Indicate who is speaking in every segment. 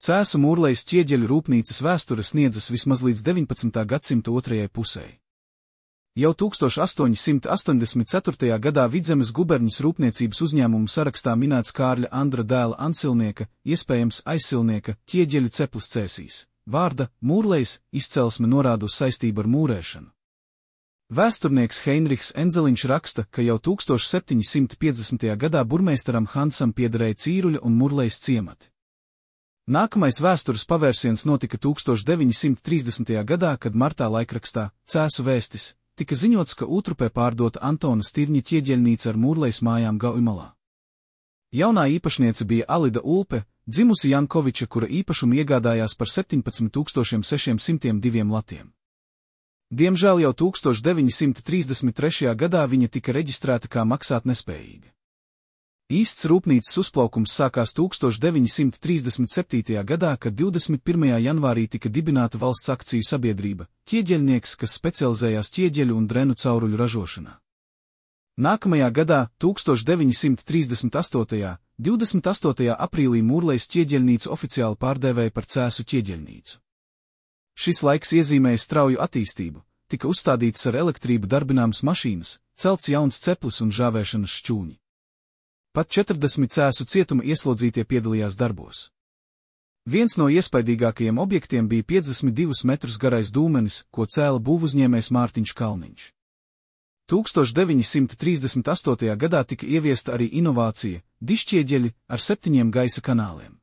Speaker 1: Cēsu Mūrlejas ķieģeļu rūpnīcas vēsture sniedzas vismaz līdz 19. gadsimta otrajai pusei. Jau 1884. gadā Vidzemes guberņas rūpniecības uzņēmumu sarakstā minēts Kārļa Andra dēla Ansilnieka, iespējams aizsilnieka, ķieģeļu ceplis Cēsīs. Vārda Mūrlejas izcelsme norāda uz saistību ar mūrēšanu. Vēsturnieks Heinrichs Enzeliņš raksta, ka jau 1750. gadā burmeistaram Hansam piederēja Cīruļa un Mūrlejas ciemati. Nākamais vēstures pavērsiens notika 1930. gadā, kad martā laikrakstā Cēsu vēstis tika ziņots, ka Utrupē pārdota Antona Stirņa ķieģeļnīca ar Mūrlejas mājām Gauimalā. Jaunā īpašniece bija Alida Ulpe, dzimusi Jankoviča, kura īpašumu iegādājās par 17,602 latiem. Diemžēl jau 1933. gadā viņa tika reģistrēta kā maksātnespējīga. Īsts rūpnīcas uzplaukums sākās 1937. gadā, kad 21. janvārī tika dibināta valsts akciju sabiedrība, ķieģeļnieks, kas specializējās ķieģeļu un drenu cauruļu ražošanā. Nākamajā gadā, 1938. 28. aprīlī Mūrlejas ķieģeļnīcu oficiāli pārdēvēja par Cēsu ķieģeļnīcu. Šis laiks iezīmēja strauju attīstību, tika uzstādītas ar elektrību darbināmas mašīnas, celts jauns ceplis un žāvēšanas šķūņi. Pat 40 Cēsu cietuma ieslodzītie piedalījās darbos. Viens no iespaidīgākajiem objektiem bija 52 metrus garais dūmenis, ko cēla būvuzņēmējs Mārtiņš Kalniņš. 1938. gadā tika ieviesta arī inovācija – dišķieģeļi ar 7 gaisa kanāliem.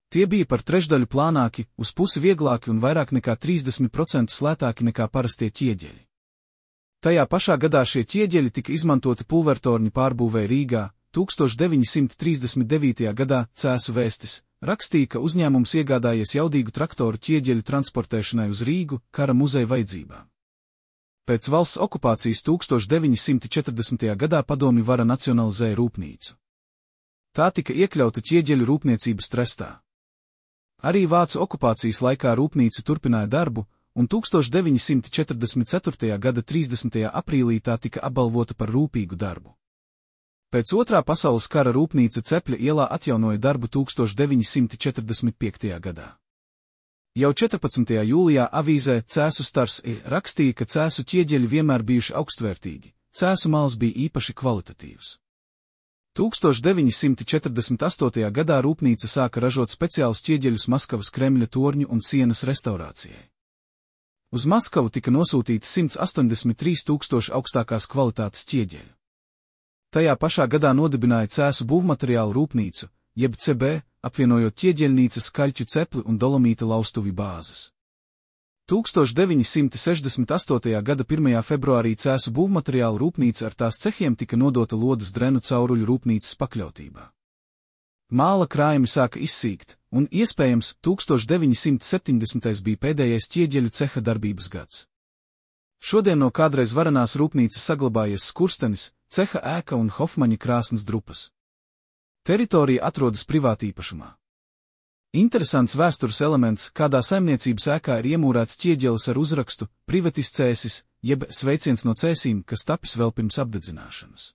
Speaker 1: Tie bija par trešdaļu plānāki, uz pusi vieglāki un vairāk nekā 30% slētāki nekā parastie ķieģeļi. Tajā pašā gadā šie ķieģeļi tika izmantoti pulvertorņu pārbūvē Rīgā. 1939. gadā Cēsu vēstis rakstīja, ka uzņēmums iegādājies jaudīgu traktoru ķieģeļu transportēšanai uz Rīgu kara muzeja vajadzībām. Pēc valsts okupācijas 1940. gadā padomju vara nacionalizēja rūpnīcu. Tā tika iekļauta ķieģeļu rūpniecības trestā. Arī vācu okupācijas laikā rūpnīca turpināja darbu, un 1944. gada 30. aprīlī tā tika apbalvota par rūpīgu darbu. Pēc Otrā pasaules kara rūpnīca Cepļa ielā atjaunoja darbu 1945. gadā. Jau 14. jūlijā avīzē Cēsu Stars rakstīja, ka Cēsu ķieģeļi vienmēr bijuši augstvērtīgi, Cēsu mals bija īpaši kvalitatīvs. 1948. gadā rūpnīca sāka ražot speciālus ķieģeļus Maskavas Kremļa torņu un sienas restaurācijai. Uz Maskavu tika nosūtīti 183 000 augstākās kvalitātes ķieģeļu. Tajā pašā gadā nodibināja Cēsu būvmateriālu rūpnīcu, jeb CB, apvienojot ķieģeļnīcas kaļķu cepli un dolomīta laustuvi bāzes. 1968. gada 1. februārī Cēsu būvmateriālu rūpnīca ar tās cehiem tika nodota Lodas drenu cauruļu rūpnīcas pakļautībā. Māla krājumi sāka izsīkt, un, iespējams, 1970. bija pēdējais ķieģeļu ceha darbības gads. Šodien no kādreiz varenās rūpnīcas saglabājies skurstenis, ceha ēka un Hofmaņa krāsnes drupas. Teritorija atrodas privātīpašumā. Interesants vēstures elements, kādā saimniecības ēkā ir iemūrēts ķieģelis ar uzrakstu Privatis Cēsis, jeb sveiciens no Cēsīm, kas tapis vēl pirms apdedzināšanas.